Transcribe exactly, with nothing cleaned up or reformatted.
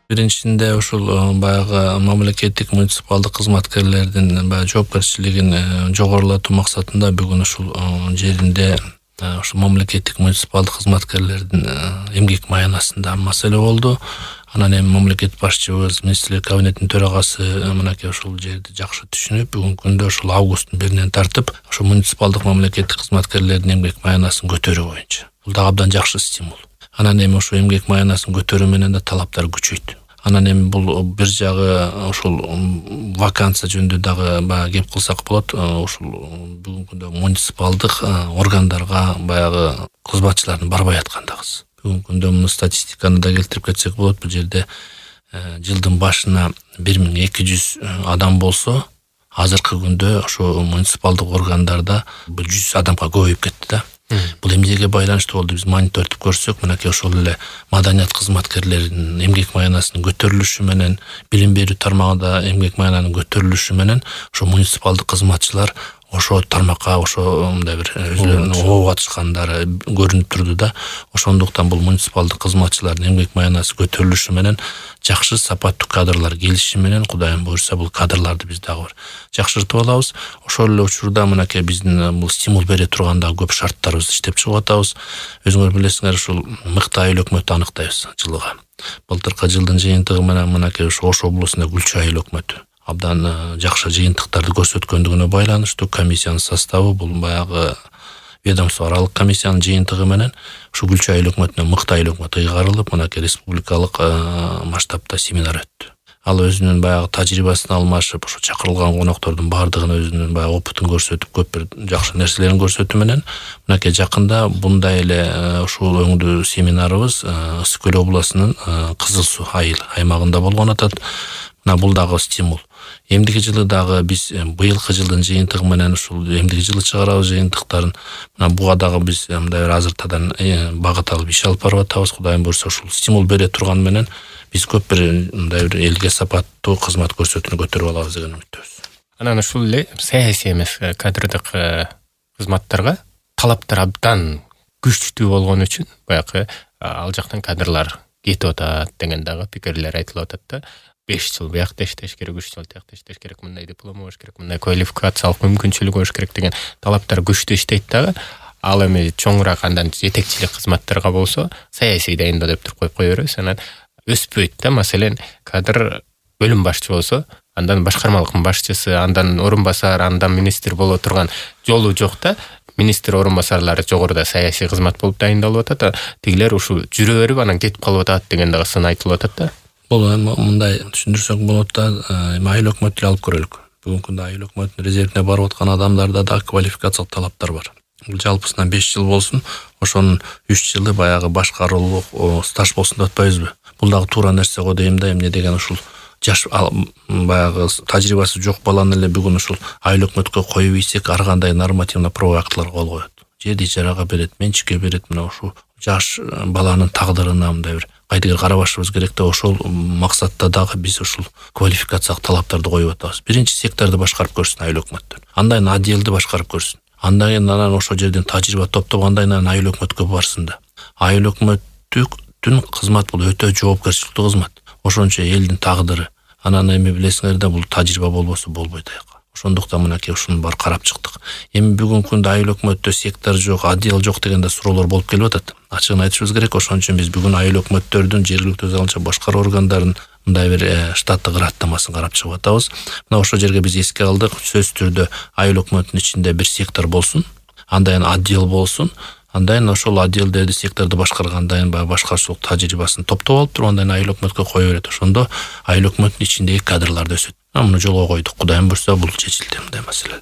Биринчисинде ушул баягы мамлекеттик муниципалдык кызматкерлердин баягы жоопкерчилигин жогорулатуу максатында бүгүн ушул жеринде ушул мамлекеттик муниципалдык кызматкерлердин эмгек маянасында маселе болду. Анан эми мамлекет башчыбыз, министрлер кабинетинин төрагасы мынакей ушул жерди жакшы түшүнүп, бүгүнкү күндө ушул августтун биринен тартып ушул муниципалдык мамлекеттик кызматкерлердин эмгек маянасын көтөрүү боюнча. Бул да абдан жакшы стимул. Анан эми ушул эмгек маянасын көтөрүү менен да талаптар күчөйт. Анан эми бул бир жагы ушул вакансия жөнүндө дагы баягы кеп кылсак болот. Ушул бүгүнкү күндө муниципалдык органдарга баягы кызматчылардын барбай аткандыгыбыз. Бүгүнкү күндө муну статистиканы да келтирип кетсек болот. Бул жерде жылдын башына бир миң эки жүз адам болсо, азыркы күндө ошо муниципалдык органдарда бул жүз адамга көбөйүп кетти да. Бул эмнеге байланыштуу болду? Биз монитордуп көрсөк, мынакей ошол эле маданият кызматкерлеринин эмгек маянасынын көтөрүлүшү менен, билим берүү тармагында эмгек маянанын көтөрүлүшү менен ошо муниципалдык кызматчылар ошо тармакка ошо мындай бир өзүлөрүнүн оо катышкандары көрүнүп турду да. Ошондуктан бул муниципалдык кызматчылардын эмгек маянасы көтөрүлүшү менен, жакшы сапаттуу кадрлар келиши менен, Кудайым буйрса, бул кадрларды биз дагы бир жакшыртып алабыз. Ошол эле учурда мынакей биздин бул стимул бере турган дагы көп шарттарыбызды иштеп чыгып атабыз. Өзүңөр билесиңер, ушул мыкты айыл өкмөтү аныктайбыз жылыга. Былтыркы жылдын жыйынтыгы менен мынакей ошо Ош облусунда Гүлчү айыл өкмөтү абдан жакшы жыйынтыктарды көрсөткөндүгүнө байланыштуу комиссиянын составы, бул баягы ведомство аралык комиссиянын жыйынтыгы менен ушу Гүлчү айыл өкмөтүнө мыкты айыл өкмөтү ыйгарылып, мынакей республикалык масштабта семинар өттү. Ал өзүнүн баягы тажрыйбасын алмашып, ошо чакырылган коноктордун баардыгына өзүнүн баягы опытын көрсөтүп, көп бир жакшы нерселерин көрсөтүү менен мынакей жакында bunday эле ушул өңдүү семинарыбыз Ысык Көл областынын Кызыл Суу айыл аймагында болгон атат. Мына бул дагы стимул. Эмдиги жылы дагы биз быйылкы жылдын жыйынтыгы менен ушул эмдиги жылы чыгарабыз жыйынтыктарын. Мына буга дагы биз мындай бир азыртадан багыт алып иш алып барып атабыз. Кудайым буйрса, ушул стимул бере турган менен биз көп бир мындай бир элге сапаттуу кызмат көрсөтүүнү көтөрүп алабыз деген үмүттөбүз. Анан ушул эле саясий эмес кадрдык кызматтарга талаптар абдан күчтүү болгон үчүн баягы ал жактан кадрлар кетип атат деген дагы пикирлер айтылып атат да. беш жыл биякта иштеш керек, үч жыл тиякта иштеш керек, мындай диплом болуш керек, мындай квалификациялык мүмкүнчүлүк болуш керек деген талаптар күчтүү иштейт дагы. Ал эми чоңураак андан жетекчилик кызматтарга болсо саясий дайындоо деп туруп коюп кое беребиз. Анан өспөйт да. Маселен, кадр бөлүм башчы болсо, андан башкармалыктын башчысы, андан орун басар, андан министр боло турган жолу жок да. Министр орун басарлары жогоруда саясий кызмат болуп дайындалып атат. Тигилер ушул жүрө берип анан кетип калып атат деген дагы сын айтылып атат да. Бул мындай түшүндүрсөк болот да, айыл өкмөтүн алып көрөлүк. Бүгүнкү күндө айыл өкмөтүнүн резервине барып аткан адамдарда да квалификациялык талаптар бар. Бул жалпысынан беш жыл болсун, ошонун үч жылы баягы башкаруулук стаж болсун деп атпайбызбы? Бул дагы туура нерсе го дейм да. Эмне деген ушул жаш баягы тажрыйбасы жок баланы эле бүгүн ушул айыл өкмөткө коюп ийсек, ар кандай нормативно правовой актыларга кол коет. Жерди ижарага берет, менчикке берет. Мына ушул жаш баланын тагдырына мындай бир кайдыгер карабашыбыз керек да. Ошол максатта дагы биз ушул квалификациялык талаптарды коюп атабыз. Биринчи секторду башкарып көрсүн айыл өкмөттөр. Андан отделди башкарып көрсүн. Андан кийин анан ошол жерден тажрыйба топтоп андан кийин айыл өкмөткө барсын да. Айыл өкмөттүн кызмат бул өтө жоопкерчиликтүү кызмат. Ошончо элдин тагдыры. Анан эми билесиңер да, бул тажрыйба болбосо болбойт аяка. Ошондуктан мынакей ушуну бар карап чыктык. Эми бүгүнкү күндө айыл өкмөттө сектор жок, отдел жок дегенде суроолор болуп келип атат. Ачыгын айтышыбыз керек. Ошон үчүн биз бүгүн айыл өкмөттөрдүн жергиликтүү өз алынча башкаруу органдарынын мындай бир штаттык ыраттамасын карап чыгып атабыз. Мына ошол жерге биз эске алдык. Сөзсүз түрдө айыл өкмөтүнүн ичинде бир сектор болсун, андан кийин отдел болсун. Андан кийин ошол отделдерди, секторду башкаргандан кийин баягы башкарчылык тажрыйбасын топтоп алып туруп, андан кийин айыл өкмөткө кое берет. Ошондо айыл өкмөтүнүн ичиндеги кадрларды өсөт. Муну жолго койдук. Кудайым буйрса, бул чечилди мындай маселе.